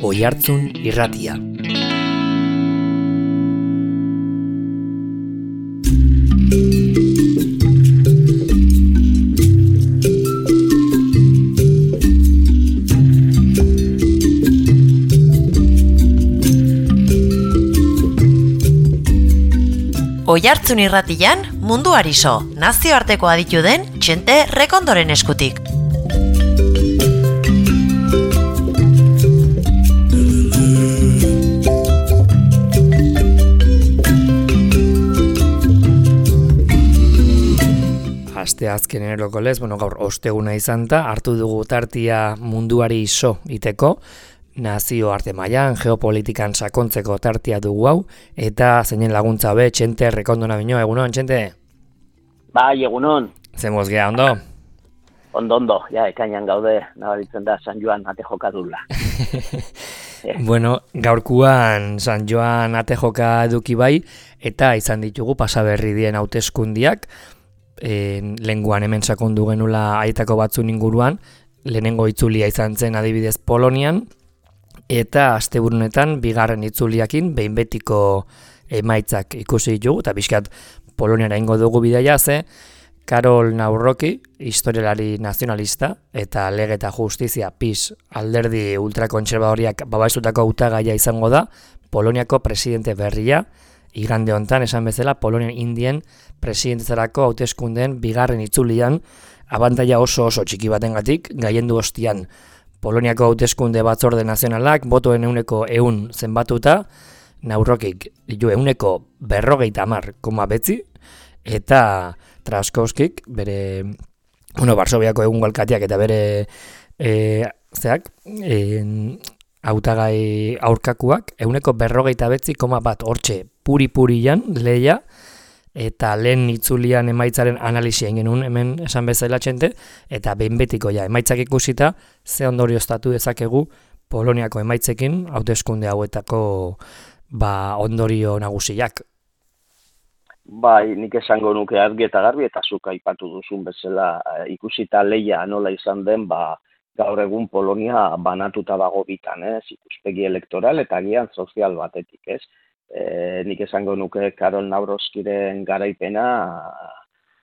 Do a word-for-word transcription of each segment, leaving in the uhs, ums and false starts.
Oihartzun irratia. Oihartzun irratian munduari so, nazioarteko aditu den Txente Rekondoren eskutik. Aste azkenero lez, bueno, gaur osteguna izan da, hartu dugu tartia munduari so iteko, nazio arte mailan geopolitikan sakontzeko tartia dugu hau, eta zeinen laguntza be, Txente Rekondona bino, egunon, Txente? Bai, egunon. Zemoz gea, ondo? Ondo, ondo, ja, ekainan gaude, nabaritzen da San Joan ate jokadula. Bueno, gaurkuan San Joan ate joka eduki bai, eta izan ditugu pasaberri dien hauteskundiak, e, lenguan hemen sakondu genula aitako batzun inguruan, lehenengo itzulia izan zen adibidez Polonian, eta asteburunetan bigarren itzuliakin behin betiko emaitzak ikusi ditugu, eta bizkat Poloniara ingo dugu bidaia ze, Karol Nawrocki, historialari nazionalista, eta Lege eta Justizia PiS alderdi ultrakontserbadoriak babaizutako hautagaia izango da, Poloniako presidente berria, igande hontan esan bezala Polonian Indien presidentezarako hauteskundeen bigarren itzulian, abantaila oso oso txiki batengatik, gaiendu ostian Poloniako hauteskunde batzorde nazionalak botoen euneko eun zenbatuta, Nawrockik ditu euneko berrogeita hamar koma betzi, eta Trzaskowskik bere, bueno, Varsoviako egungo alkateak eta bere e, zeak, e, hautagai aurkakuak, euneko berrogeita betzi koma bat hortxe puri-purian leia, eta lehen itzulian emaitzaren analizia genuen hemen esan bezala Txente, eta behin betiko ja emaitzak ikusita, ze ondorioztatu dezakegu Poloniako emaitzekin hauteskunde hauetako ba, ondorio nagusiak. Bai, nik esango nuke argi eta garbi, eta zuk aipatu duzun bezala ikusita leia nola izan den, ba, gaur egun Polonia banatuta dago bitan, ez? Ikuspegi elektoral eta agian sozial batetik, ez? E, nik esango nuke Karol Nawrockiren garaipena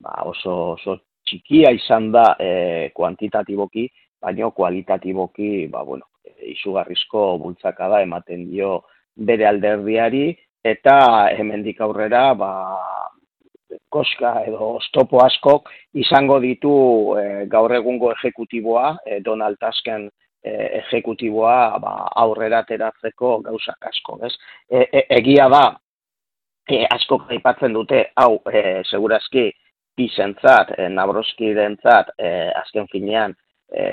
ba, oso, oso txikia izan da e, kuantitatiboki, baina kualitatiboki ba, bueno, izugarrizko bultzakada ematen dio bere alderdiari, eta hemendik aurrera ba, koska edo oztopo askok izango ditu e, gaur egungo ejekutiboa, e, Donald Tusken e, ejekutiboa ba, aurrera ateratzeko gauzak asko, ez? E, e, egia da, e, askok aipatzen dute, hau, e, segurazki, pisentzat, e, Nawrockirentzat, e, azken finean, e,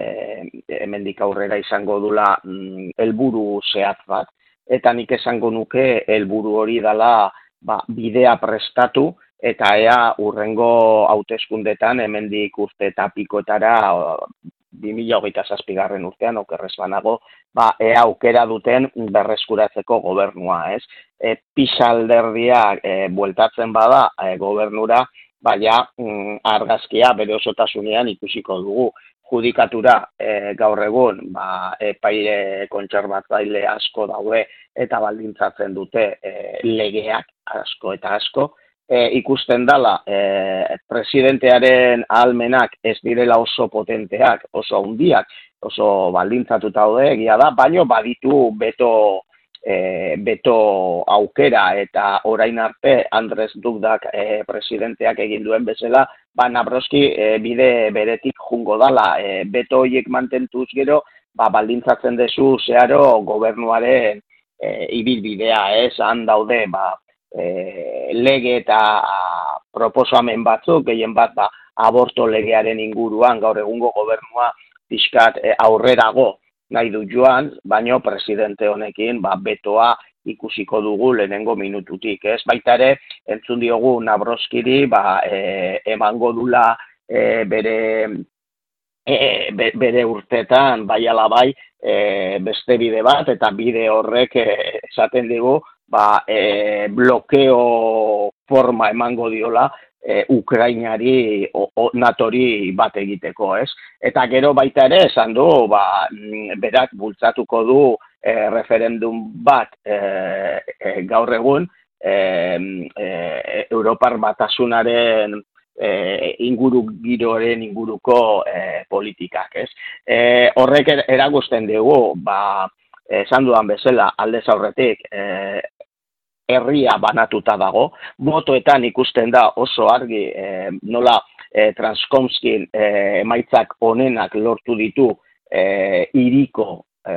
hemendik aurrera izango dula mm, helburu zehatz bat, eta nik esango nuke helburu hori dela ba, bidea prestatu, eta ea urrengo hauteskundetan hemendik urte eta pikoetara bi mila hogeita zazpigarren urtean okerrez banago, ba, ea aukera duten berreskuratzeko gobernua, ez? E, PiS alderdia e, bueltatzen bada e, gobernura, baina mm, argazkia bere osotasunean ikusiko dugu. Judikatura e, gaur egun ba, epaile kontserbatzaile asko daude eta baldintzatzen dute e, legeak asko eta asko. E, ikusten dela e, presidentearen ahalmenak ez direla oso potenteak, oso handiak, oso baldintzatuta daude egia da, baino baditu beto, e, beto aukera eta orain arte Andrzej Dudak e, presidenteak egin duen bezala, ba, Nawrocki e, bide beretik jungo dala, e, beto horiek mantentuz gero, ba, baldintzatzen dezu zeharo gobernuaren e, ibilbidea, ez, han daude, ba, e, lege eta proposamen batzuk, gehien bat, ba, aborto legearen inguruan, gaur egungo gobernua pixkat e, aurrerago nahi du joan, baino presidente honekin, ba, betoa ikusiko dugu lehenengo minututik, ez? Baita ere, entzun diogu Nawrockiri, ba, e, emango dula e, bere, e, be, bere urtetan, bai ala bai, e, beste bide bat, eta bide horrek e, esaten digu, ba, e, blokeo forma emango diola, e, Ukrainari, o, o, natori bat egiteko, ez? Eta gero baita ere, esan du, ba, berak bultzatuko du e, referendum bat e, e, gaur egun e, e, Europar Batasunaren e, inguru giroren inguruko e, politikak, ez? E, horrek erakusten dugu, ba, esan dudan bezala, aldez aurretik, e, herria banatuta dago, botoetan ikusten da oso argi e, nola e, Transkomskin e, emaitzak onenak lortu ditu e, iriko e,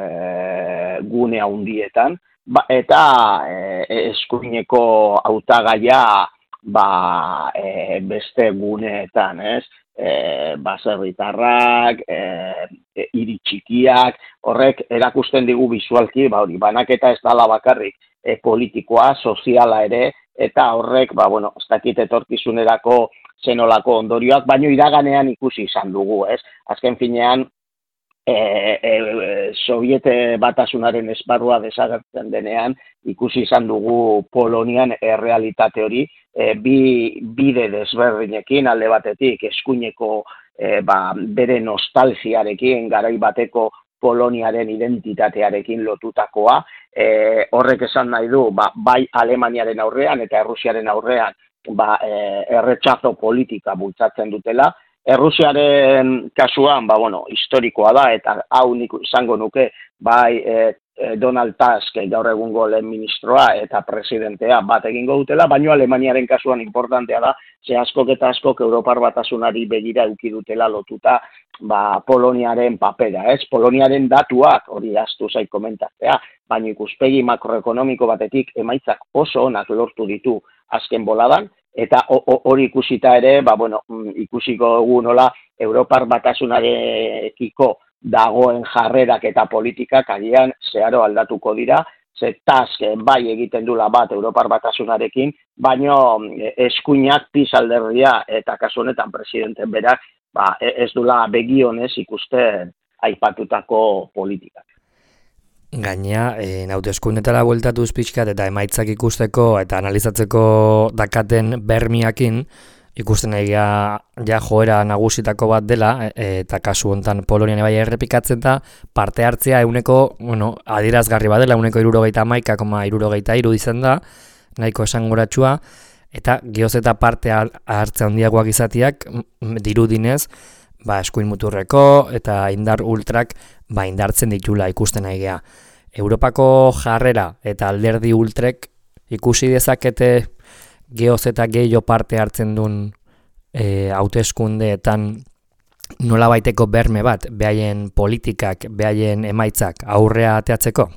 gune handietan, ba, eta e, eskuineko hautagaia ba, e, beste guneetan, ez? E, baserritarrak, e, e, hiri txikiak, horrek erakusten digu bisualki, ba, hori, banaketa ez dala bakarrik e, politikoa, soziala ere, eta horrek, ba, bueno, ez dakit etorkizunerako zenolako ondorioak, baino iraganean ikusi izan dugu, ez? Azken finean, E, e, Soviete Batasunaren esparrua desagertzen denean, ikusi izan dugu Polonian errealitate hori, e, bi bide desberdinekin, alde batetik eskuineko e, ba, bere nostalgiarekin, garai bateko Poloniaren identitatearekin lotutakoa, e, horrek esan nahi du, ba, bai Alemaniaren aurrean eta Errusiaren aurrean ba, e, erretxazo politika bultzatzen dutela. Errusiaren kasuan, ba, bueno, historikoa da, eta hau nik izango nuke, bai e, Donald Tusk, gaur egungo lehen ministroa eta presidentea bat egingo dutela, baino Alemaniaren kasuan importantea da, ze askok eta askok Europar Batasunari begira eduki dutela lotuta ba, Poloniaren papera, ez? Poloniaren datuak, hori astu zait komentatzea, baino ikuspegi makroekonomiko batetik emaitzak oso onak lortu ditu azken boladan, eta hori ikusita ere, ba, bueno, ikusiko dugu nola Europar Batasunarekiko dagoen jarrerak eta politikak agian zeharo aldatuko dira, ze Tusk bai egiten dula bat Europar Batasunarekin, baino eskuinak Pis alderdia eta kasu honetan presidente berak ba, ez dula begionez ikusten aipatutako politikak. Gaina, e, hauteskundetara bueltatuz pixkat eta emaitzak ikusteko eta analizatzeko dakaten bermiakin, ikusten egia ja joera nagusitako bat dela, e, eta kasu hontan Polonian bai errepikatzen da, parte hartzea euneko, bueno, adierazgarri badela, euneko hirurogeita hamaika koma hirurogeita hiru izan da, nahiko esanguratsua, eta geoz eta parte hartzea handiagoak izatiak dirudinez, ba, eskuin muturreko eta indar ultrak ba, indartzen ditula ikusten egia. Europako jarrera eta alderdi ultrek ikusi dezakete geoz eta gehiago parte hartzen duen e, hauteskundeetan nola baiteko berme bat, behaien politikak, behaien emaitzak aurrea ateatzeko?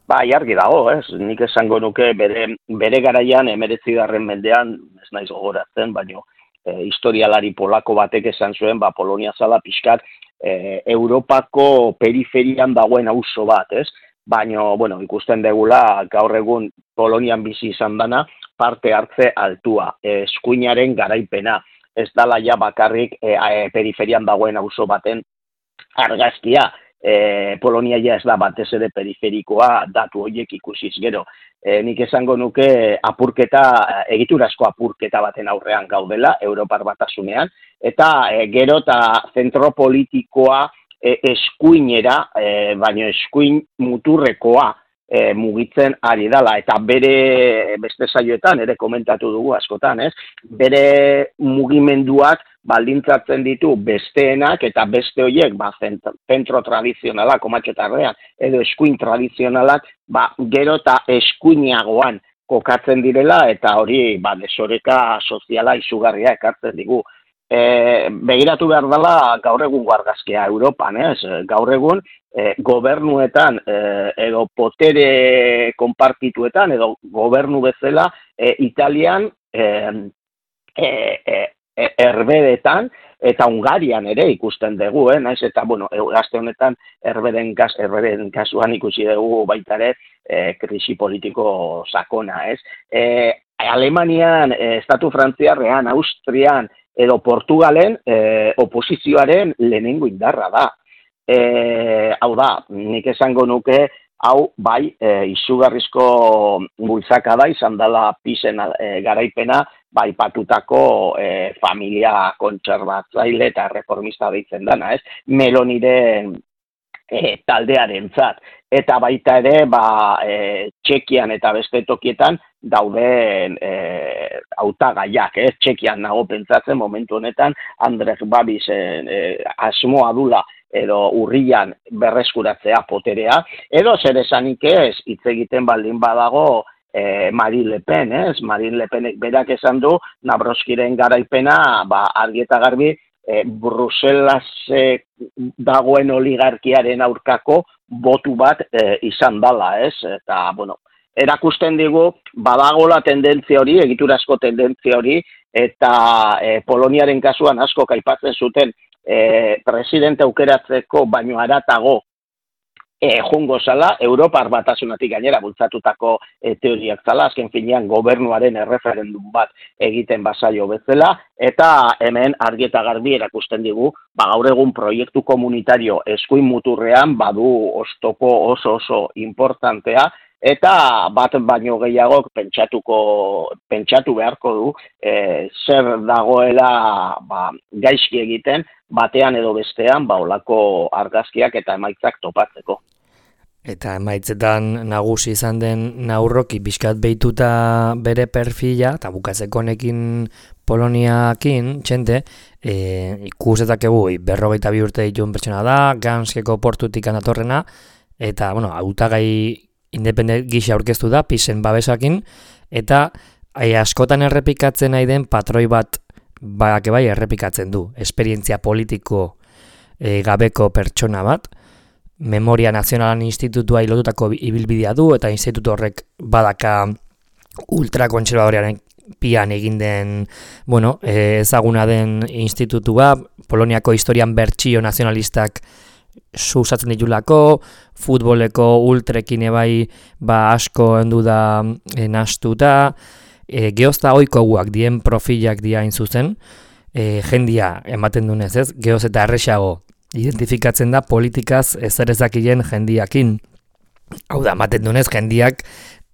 Ba, argi dago, ez? Nik esango nuke bere, bere garaian emeretzigarren mendean, ez naiz gogoratzen, baino e, historialari polako batek esan zuen, ba, Polonia zala pixkat e, Europako periferian dagoen auzo bat, ez? Baino, bueno, ikusten degula gaur egun Polonian bizi izan dana, parte hartze altua, eskuinaren garaipena, ez dala ja bakarrik e, e, periferian dagoen auzo baten argazkia, e, Polonia ja ez da batez ere periferikoa datu horiek ikusiz gero. E, nik esango nuke apurketa, egiturazko apurketa baten aurrean gaudela, Europar Batasunean, eta e, gero eta zentro politikoa e, eskuinera, e, baina eskuin muturrekoa, E, mugitzen ari dala, eta bere beste saioetan ere komentatu dugu askotan, ez? Bere mugimenduak baldintzatzen ditu besteenak eta beste horiek ba, zentro tradizionalak, komatxotarrean, edo eskuin tradizionalak, ba, gero eta eskuinagoan kokatzen direla, eta hori ba, desoreka soziala izugarria ekartzen digu. E, begiratu behar dela gaur egun argazkia Europan, ez? Gaur egun e, gobernuetan e, edo potere konpartituetan edo gobernu bezala e, Italian e, e, e, erbedetan eta Hungarian ere ikusten dugu, eh? Naiz eta, bueno, gazte honetan erbeden, kas, erbeden kasuan ikusi dugu baita ere e, krisi politiko sakona, ez? E, Alemanian, e, Estatu Frantziarrean, Austrian, edo Portugalen eh, oposizioaren lehenengo indarra da. E, hau da, nik esango nuke, hau bai e, izugarrizko bultzaka da, izan dela Pisen e, garaipena, bai patutako e, familia kontserbatzaile eta reformista deitzen dana, ez? Meloniren e, taldearentzat. Eta baita ere, ba, e, Txekian eta beste tokietan dauden e, hautagaiak, ez? Txekian nago pentsatzen momentu honetan Andrej Babisen e, asmoa dula edo urrian berreskuratzea poterea, edo zer esanik ez, hitz egiten baldin badago eh, Marine Le Pen, ez? Marine Le Penek berak esan du, Nabroskiren garaipena, ba, argi eta garbi, eh, Bruselas dagoen oligarkiaren aurkako botu bat eh, izan dala, ez? Eta, bueno, erakusten digu, badagola tendentzia hori, egiturazko tendentzia hori, eta eh, Poloniaren kasuan asko aipatzen zuten, E, presidente aukeratzeko baino haratago e, jungo zala, Europar batasunatik gainera bultzatutako e, teoriak zala, azken finean gobernuaren erreferendum bat egiten bazaio bezala, eta hemen argi eta garbi erakusten digu, ba, gaur egun proiektu komunitario eskuin muturrean badu oztopo oso oso importantea, eta bat baino gehiagok pentsatuko, pentsatu beharko du e, zer dagoela ba, gaizki egiten, batean edo bestean ba, olako argazkiak eta emaitzak topatzeko. Eta emaitzetan nagusi izan den Naurroki bizkat behituta bere perfila, eta bukatzeko honekin Poloniakin, txente, e, ikusetakegu berrogeita bi urte dituen pertsona da, Ganskeko portutik anatorrena, eta, bueno, hautagai independent gisa aurkeztu da, pisen babesakin, eta ai, askotan errepikatzen nahi den patroi bat bake bai errepikatzen du. Esperientzia politiko e, gabeko pertsona bat, Memoria Nazionalan Institutua ilotutako ibilbidea du, eta institutu horrek badaka ultrakontserbadorearen pian egin den, bueno, e, ezaguna den institutua, Poloniako historian bertsio nazionalistak susatzen ditulako, futboleko ultrekin ebai ba asko hendu da e, nastuta, e, geozta oikoguak dien profilak diain zuzen, e, jendia ematen dunez ez, geoz eta erresago identifikatzen da politikaz ezer ezakien jendiakin. Hau da, ematen dunez jendiak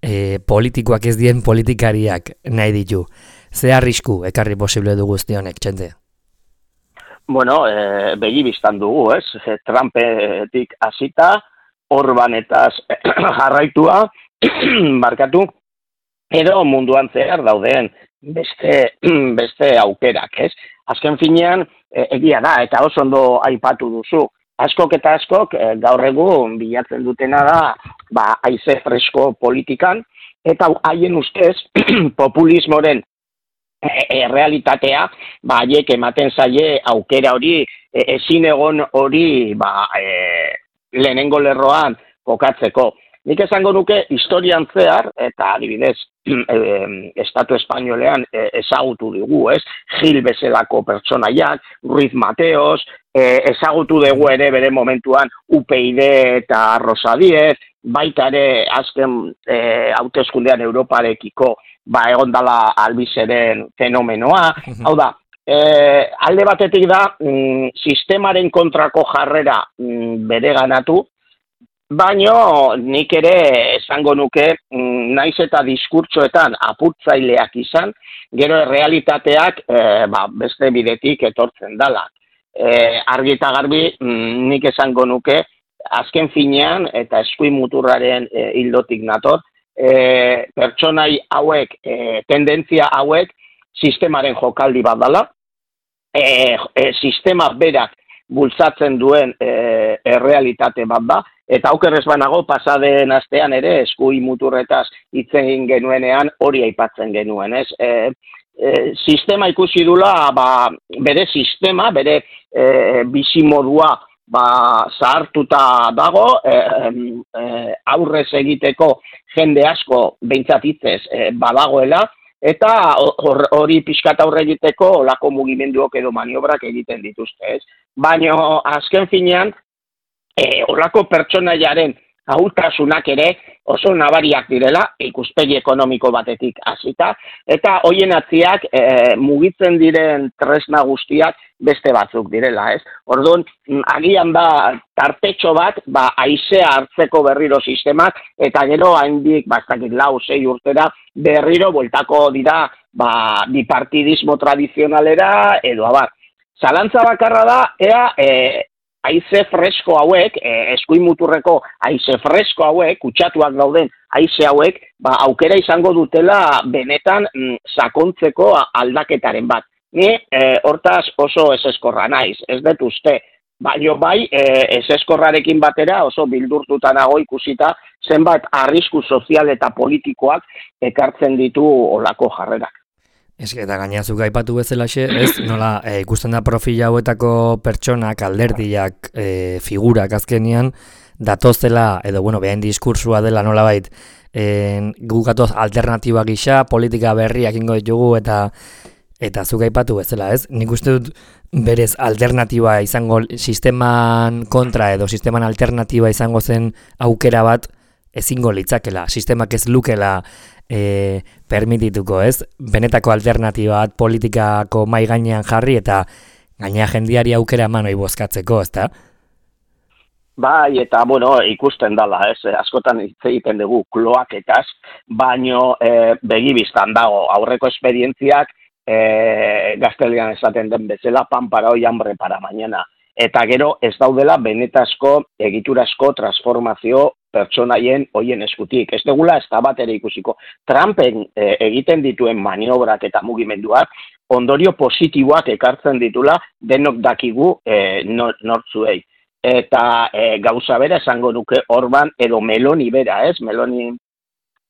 e, politikoak ez dien politikariak nahi ditu. Ze arrisku ekarri posible du guzti honek, txente? Bueno, e, begi biztan dugu, ez? E, Trumpetik hasita, Orbanetaz jarraitua, markatu, edo munduan zehar dauden beste, beste aukerak, ez? Azken finean, e, egia da, eta oso ondo aipatu duzu. Askok eta askok, e, gaur egun bilatzen dutena da, ba, haize fresko politikan, eta haien ustez, populismoren E, realitatea, ba, haiek ematen zaie aukera hori, e, ezin egon hori, ba, e, lehenengo lerroan kokatzeko. Nik esango nuke historian zehar, eta adibidez, e, Estatu Espainolean e, ezagutu dugu, ez? Gil bezalako pertsonaiak, Ruiz Mateos, e, ezagutu dugu ere bere momentuan U P I D eta Rosa Díez, baita ere azken e, hauteskundean Europarekiko ba egon dala albizeren fenomenoa, hau da, e, alde batetik da, mm, sistemaren kontrako jarrera mm, bere ganatu, baino nik ere esango nuke, mm, naiz eta diskurtsoetan apurtzaileak izan, gero realitateak e, ba, beste bidetik etortzen dala. E, argi eta garbi, mm, nik esango nuke, azken finean eta eskuin muturraren e, hildotik nator, E, pertsonai hauek, e, tendentzia hauek, sistemaren jokaldi bat dela, e, e, sistema berak bultzatzen duen e, errealitate bat da, eta aukerrez banago pasaden astean ere eskuin muturretaz hitz egin genuenean hori aipatzen genuen, ez? E, e, sistema ikusi dula, ba, bere sistema, bere e, bizimodua, ba, zahartuta dago, e, e, aurrez egiteko jende asko behintzat hitzez e, badagoela, eta hori pixkat aurre egiteko olako mugimenduok edo maniobrak egiten dituzte, ez? Baina azken finean, e, olako pertsonaiaren ahultasunak ere oso nabariak direla, ikuspegi ekonomiko batetik hasita, eta hoien atziak e, mugitzen diren tresna guztiak beste batzuk direla, ez? Orduan, agian da tartetxo bat, ba, haizea hartzeko berriro sistemak, eta gero haindik, bastakit lau, sei urtera, berriro bueltako dira, ba, bipartidismo tradizionalera, edo abar. Zalantza bakarra da, ea, e, haize fresko hauek, e, eskuin muturreko haize fresko hauek, kutsatuak dauden haize hauek, ba, aukera izango dutela benetan mm, sakontzeko aldaketaren bat. Ni e, hortaz oso ezeskorra naiz, ez dut uste, baino bai e, ezeskorrarekin batera oso bildurtuta nago ikusita zenbat arrisku sozial eta politikoak ekartzen ditu olako jarrerak. Ez eta gainazuk aipatu bezalaxe, ez, nola, e, ikusten da profila hauetako pertsonak, alderdiak, e, figurak azkenian, datozela, edo, bueno, behain diskursua dela nolabait, e, gukatoz alternatiba gisa, politika berriak ingo ditugu, eta eta zuk aipatu bezala, ez? Nik uste dut berez alternatiba izango, sisteman kontra edo sisteman alternatiba izango zen aukera bat, ezingo litzakela, sistemak ez lukela e, permitituko, ez? Benetako alternatiba bat politikako mai gainean jarri eta gainea jendiari aukera eman hori bozkatzeko, ezta? Bai, eta, bueno, ikusten dala, ez? Askotan hitz egiten dugu kloaketaz, baino e, begibistan dago aurreko esperientziak e, gaztelian esaten den bezala pan para hoy, hambre para mañana. Eta gero ez daudela benetazko egiturasko transformazio pertsonaien hoien eskutik. Ez degula ez da bat ere ikusiko. Trumpen e, egiten dituen maniobrak eta mugimenduak ondorio positiboak ekartzen ditula denok dakigu e, nortzuei. Eta e, gauza bera esango nuke Orban edo Meloni bera, ez? Meloni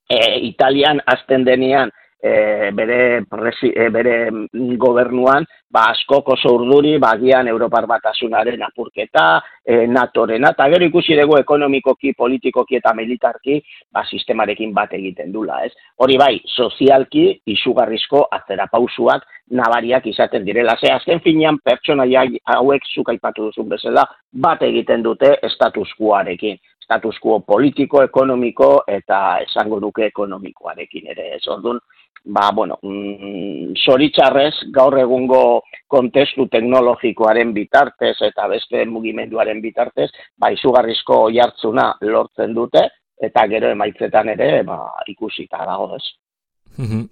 e, Italian azten denean E, bere, presi, e, bere gobernuan, ba, askok oso urduri, bagian Europar Batasunaren apurketa, e, NATOrena, eta gero ikusi dugu ekonomikoki, politikoki eta militarki, ba, sistemarekin bat egiten dula, ez? Hori bai, sozialki, izugarrizko atzerapausuak nabariak izaten direla. Ze, azken finean, pertsonaia hauek zuk aipatu duzun bezala, bat egiten dute status quoarekin. Status quo politiko, ekonomiko eta esango duke ekonomikoarekin ere. Ez orduan, ba, bueno, mm, zoritxarrez gaur egungo kontestu teknologikoaren bitartez eta beste mugimenduaren bitartez, ba, izugarrizko oihartzuna lortzen dute eta gero emaitzetan ere, ba, ikusita dago ez.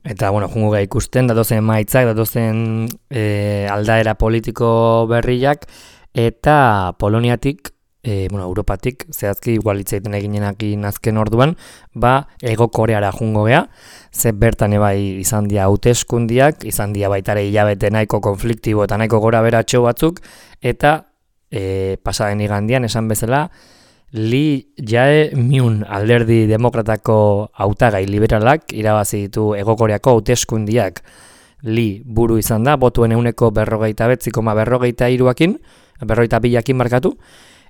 Eta, bueno, jungo gai ikusten, datozen emaitzak, datozen e, aldaera politiko berriak, eta Poloniatik, E, bueno, Europatik, zehazki igual hitz egiten eginenakin azken orduan, ba, Hego Koreara jungo gea, ze bertan ebai izan dia hauteskundiak, izan dia baitare hilabete nahiko konfliktibo eta nahiko gora beratxo batzuk, eta e, pasaden igandian esan bezala, Lee Jae-myung alderdi demokratako hautagai liberalak irabazi ditu Hego Koreako hauteskundiak. Lee buru izan da, botuen euneko berrogeita betzi koma berrogeita iruakin, berrogeita bilakin markatu,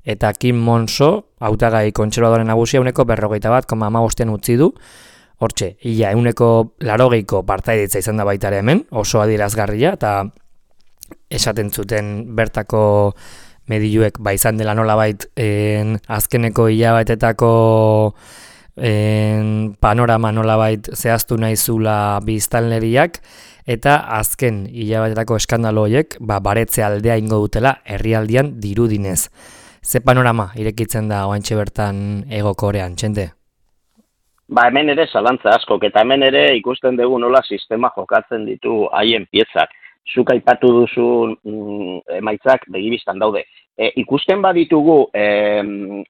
eta Kim Monso, hautagai kontserbadoren nagusia, uneko berrogeita bat, koma amabostean utzi du. Hortxe, ia, uneko larogeiko partaidetza izan da baitare hemen, oso adierazgarria, eta esaten zuten bertako mediluek ba izan dela nolabait en, azkeneko hilabetetako en, panorama nolabait zehaztu naizula biztanleriak, eta azken hilabetetako eskandalo horiek ba, baretze aldea ingo dutela herrialdian dirudinez. Ze panorama irekitzen da oantxe bertan Hego Korean, txente? Ba, hemen ere zalantza askok, eta hemen ere ikusten dugu nola sistema jokatzen ditu haien piezak. Zuk aipatu duzun mm, emaitzak begibistan daude. E, ikusten baditugu e,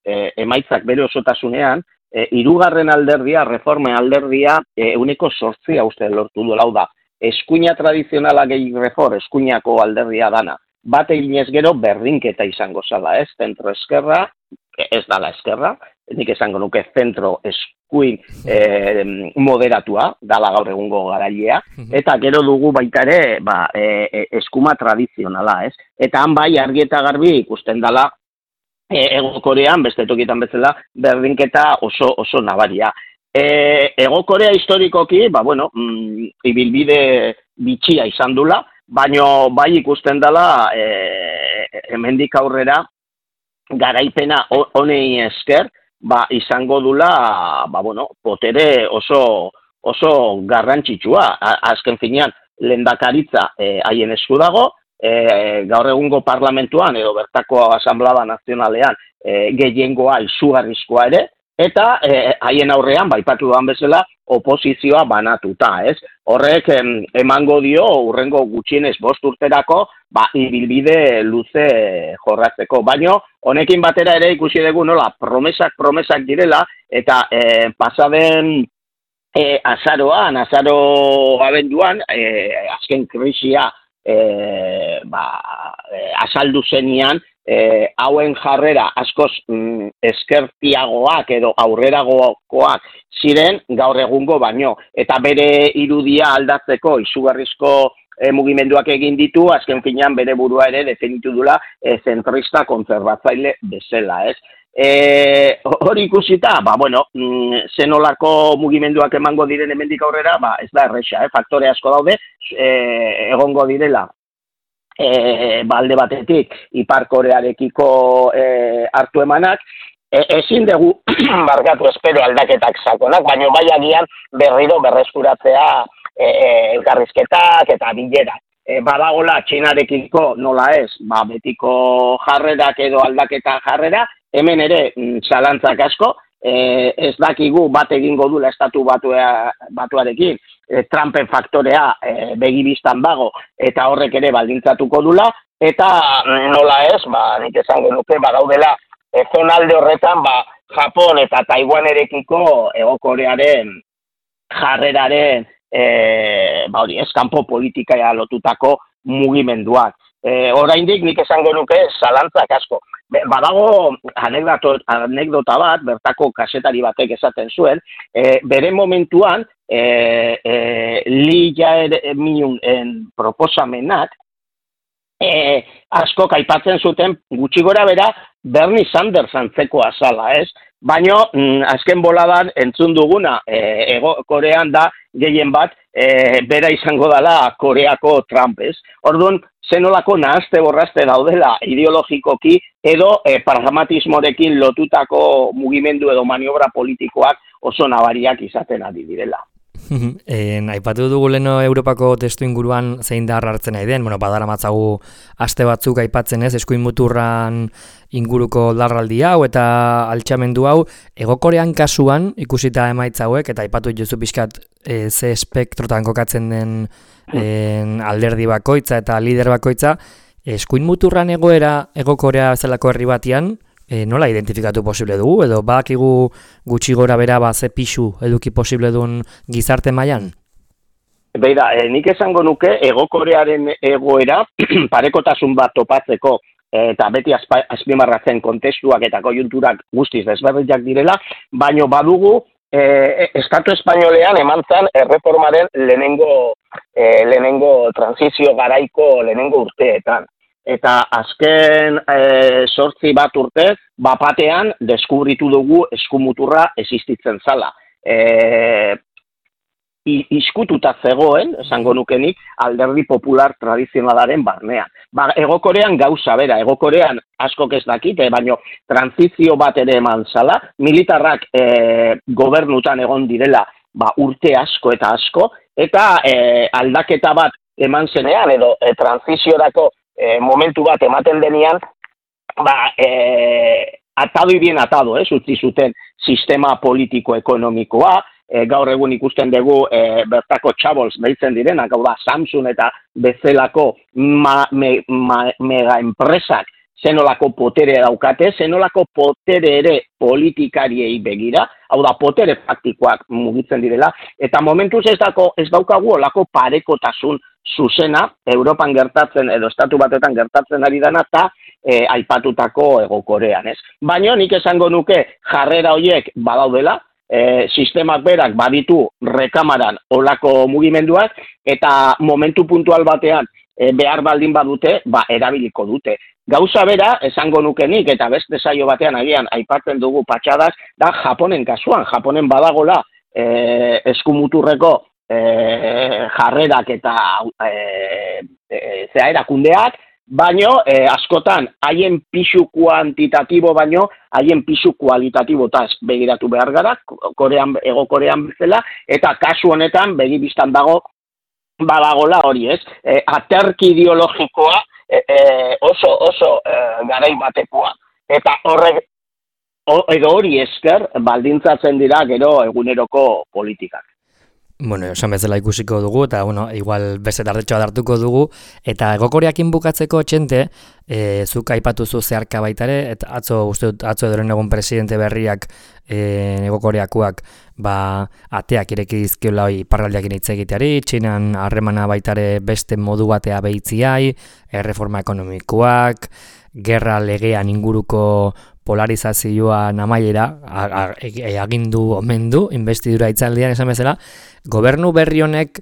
e, emaitzak bere osotasunean, e, hirugarren alderdia, reforma alderdia, e, uneko sortzia uste lortu du lau da. Eskuina tradizionala gehi refor, eskuinako alderdia dana. Bat eginez gero berdinketa izango zala, ez? Zentro eskerra, ez dala eskerra, nik esango nuke zentro eskuin eh, moderatua, dala gaur egungo garailea, eta gero dugu baita ere ba, e, eskuma tradizionala, ez? Eta han bai argi eta garbi ikusten dala e, Hego Korean, beste tokietan bezala, berdinketa oso, oso nabaria. E, Hego Korea historikoki, ba, bueno, mm, ibilbide bitxia izan dula, baino bai ikusten dela e, hemendik aurrera garaipena honei esker ba, izango dula ba, bueno, potere oso, oso garrantzitsua. Azken finean lehendakaritza haien e, esku dago, e, gaur egungo parlamentuan edo bertako asamblea nazionalean e, gehiengoa izugarrizkoa ere, eta haien aurrean, baipatu duan bezala, oposizioa banatuta, ez? Horrek em, emango dio, urrengo gutxienez bost urterako, ba, ibilbide luze jorratzeko. Baino, honekin batera ere ikusi dugu nola, promesak, promesak direla, eta e, pasaden e, azaroan, azaro abenduan, e, azken krisia e, ba, e, azaldu zenian, E, hauen jarrera askoz mm, eskertiagoak edo aurreragokoak ziren gaur egungo baino. Eta bere irudia aldatzeko izugarrizko e, mugimenduak egin ditu, azken finean bere burua ere definitu dula e, zentrista kontzerbatzaile bezala, ez? E, hori ikusita, ba, bueno, mm, zenolako mugimenduak emango diren hemendik aurrera, ba, ez da erresa, eh? Faktore asko daude, e, egongo direla. E, balde batetik Ipar Korearekiko e, hartu emanak, e, ezin dugu barkatu espero aldaketak sakonak, baina bai agian berriro berreskuratzea e, elkarrizketak eta bilerak. E, badagola Txinarekiko nola ez, ba, betiko jarrerak edo aldaketa jarrera, hemen ere zalantzak asko, e, ez dakigu bat egingo dula estatu batua, batuarekin, Trumpen faktorea e, begibistan dago eta horrek ere baldintzatuko dula, eta nola ez, ba, nik esango nuke, badaudela e, zonalde horretan, ba, Japon eta Taiwanerekiko Hego Korearen jarreraren e, ba, hori, eskanpo politika lotutako mugimenduak. E, oraindik nik esango nuke zalantzak asko. Badago anekdota bat, bertako kasetari batek esaten zuen, e, bere momentuan, e, e, Lee Jae-myungen proposamenak, e, asko aipatzen zuten gutxi gora bera Bernie Sanders antzeko azala, ez? Baina, mm, azken boladan entzun duguna, e, Ego Korean da gehien bat, e, bera izango dela Koreako Trump, ez? Orduan, zenolako nahazte borrazte daudela ideologikoki edo e, pragmatismorekin lotutako mugimendu edo maniobra politikoak oso nabariak izaten ari direla. En, aipatu dugu leno Europako testu inguruan zein da hartzen nahi den, bueno, badara matzagu aste batzuk aipatzen ez, eskuin muturran inguruko larraldi hau eta altxamendu hau, Hego Korean kasuan ikusita emaitza hauek, eta aipatu jozu pixkat e, ze espektrotan kokatzen den en, alderdi bakoitza eta lider bakoitza, eskuin muturran egoera Hego Korea bezalako herri batian, E, nola identifikatu posible dugu, edo badakigu gutxi gora bera ba, ze pixu eduki posible duen gizarte mailan? Beira, e, nik esango nuke Hego Korearen egoera parekotasun bat topatzeko eta beti azpimarratzen kontestuak eta koiunturak guztiz desberdinak direla, baino badugu e, Estatu Espainolean eman zen erreformaren lehenengo, e, lehenengo transizio garaiko lehenengo urteetan. Eta azken e, sortzi bat urtez, bapatean deskubritu dugu eskumuturra existitzen zala. E, iskututa zegoen, esango nukenik, alderdi popular tradizionalaren barnean. Ba, Hego Korean gauza bera, Hego Korean askok ez dakite, baino transizio bat ere eman zala, militarrak e, gobernutan egon direla ba, urte asko eta asko, eta e, aldaketa bat eman zenean, edo e, transiziorako E, momentu bat ematen denean, ba, e, atado y bien atado, ez, utzi zuten sistema politiko-ekonomikoa, e, gaur egun ikusten dugu e, bertako txabols behitzen direnak, hau da, Samsung eta bezalako ma, me, ma, mega enpresak zenolako potere daukate, zenolako potere ere politikariei begira, hau da, potere faktikoak mugitzen direla, eta momentuz ez, dako, ez daukagu olako parekotasun zuzena, Europan gertatzen edo Estatu Batuetan gertatzen ari dana eta e, aipatutako Hego Korean, ez? Baina nik esango nuke jarrera horiek badaudela, e, sistemak berak baditu rekamaran olako mugimenduak eta momentu puntual batean e, behar baldin badute, ba, erabiliko dute. Gauza bera, esango nukenik eta beste saio batean agian aipatzen dugu patxadas, da Japonen kasuan, Japonen badagola e, eskumuturreko E, jarrerak eta e, e, zea erakundeak, baino e, askotan haien pisu kuantitatibo baino haien pisu kualitatibotaz begiratu behar gara, Korean, Hego Korean bezala, eta kasu honetan begibistan dago badagola hori, ez? E, aterki ideologikoa e, e, oso oso e, garai batekoa. Eta horrek edo hori esker baldintzatzen dira gero eguneroko politikak. Bueno, esan bezala ikusiko dugu, eta bueno, igual beste tardetxoa hartuko dugu, eta egokoreakin bukatzeko txente, e, zuk aipatuzu zeharka baitare, eta atzo, uste dut, atzo edoren egun presidente berriak e, egokoreakuak, ba, ateak ireki dizkiola hoi iparraldiakin hitz egiteari, Txinan harremana baitare beste modu batea behitziai, erreforma ekonomikoak, gerra legean inguruko polarizazioa namaiera, agindu omen du, investidura itzaldian esan bezala, gobernu berri honek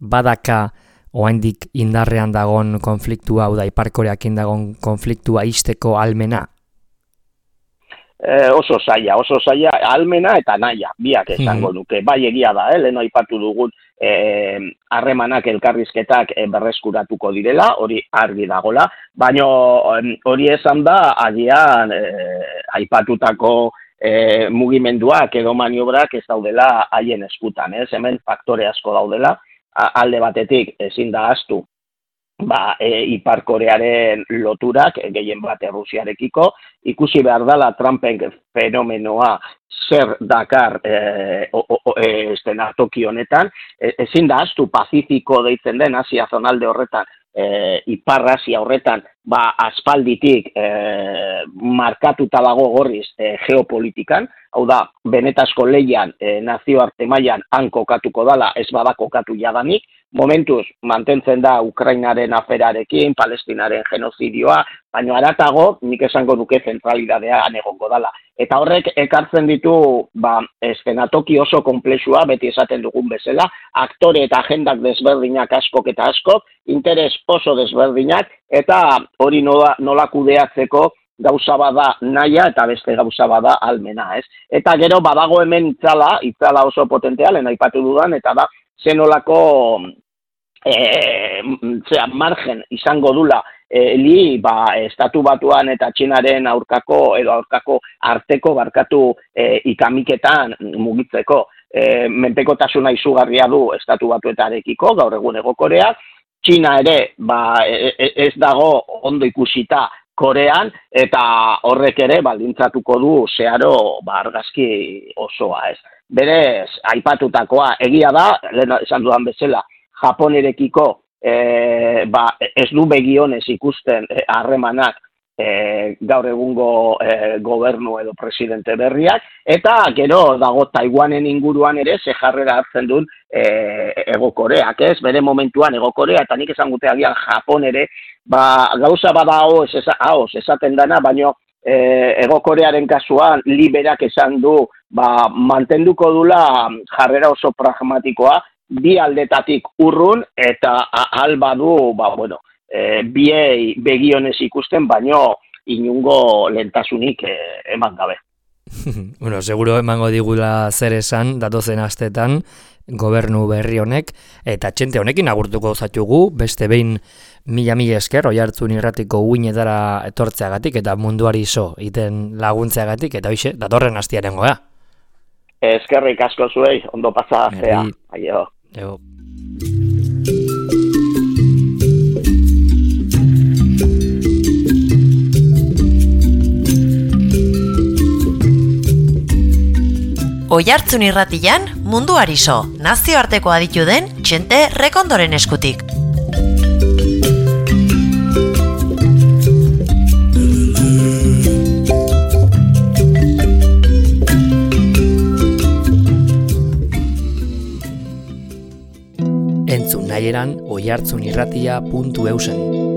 badaka oraindik indarrean dagon konfliktua, hau da Ipar-Koreakin dagon konfliktua ixteko almena? E, oso zaila, oso zaila, almena eta naia, biak esango nuke. Bai egia da, eh, lehen aipatu dugun harremanak e, elkarrizketak e, berreskuratuko direla, hori argi dagola, baina hori esan da, agian e, aipatutako e, mugimenduak edo maniobrak ez daudela haien eskutan, ez? Hemen faktore asko daudela, alde batetik ezin da ahaztu, ba, e, Ipar-Korearen loturak, e, gehien bat Errusiarekiko, ikusi behar dela Trumpen fenomenoa zer dakar e, o, o, e, estenatoki honetan, e, ezin da ahaztu Pazifiko deitzen den Asia zonalde horretan, e, Ipar-Asia horretan, ba, aspalditik e, markatuta dago gorriz e, geopolitikan, hau da, benetazko leian e, nazioarte mailan han kokatuko dala, ez bada kokatu jadanik, momentuz mantentzen da Ukrainaren aferarekin, Palestinaren genozidioa, baina haratago nik esango nuke zentralidadean egongo dala. Eta horrek ekartzen ditu ba, eszenatoki oso konplexua, beti esaten dugun bezala, aktore eta agendak desberdinak askok eta askok, interes oso desberdinak, eta hori nola, nola kudeatzeko gauza bada naia eta beste gauza bada almena, ez? Eta gero badago hemen itzala, itzala oso potentea, lehen aipatu dudan, eta da, zenolako e, zera, margen izango dula e, li, ba, estatu batuan eta Txinaren aurkako, edo aurkako arteko barkatu e, ikamiketan mugitzeko. E, menpekotasuna izugarria du estatu batuetarekiko, gaur egun egokorea, Txina ere, ba, ez dago ondo ikusita Korean, eta horrek ere baldintzatuko du zeharo ba, argazki osoa, ez. Berez, aipatutakoa, egia da, lehen esan dudan bezala, Japonerekiko e, ba, ez du begionez ikusten harremanak e, gaur egungo e, gobernu edo presidente berriak, eta gero dago Taiwanen inguruan ere ze jarrera hartzen duen e, Ego Koreak, ez? Bere momentuan Ego Korea, eta nik esan gute agian Japon ere, ba, gauza bada haoz, haoz esaten dana, baino e, Ego Korearen kasuan liberak esan du, ba, mantenduko dula jarrera oso pragmatikoa, bi aldetatik urrun, eta alba du, ba, bueno, e, biei begionez ikusten, baino inungo lentasunik e, eman gabe. Bueno, seguro emango digula zer esan, datozen astetan, gobernu berri honek, eta txente honekin agurtuko zatugu, beste behin mila mila esker, Oihartzun irratiko uinetara etortzeagatik, eta munduari iso iten laguntzeagatik, eta hoxe, datorren astiaren goea. Eskerrik asko zuei, ondo pasa, zea. Aio. Ego. Oihartzun irratian munduari so, nazioarteko aditu den Txente Rekondoren eskutik. Entzun nahieran oihartzunirratia puntu eusen.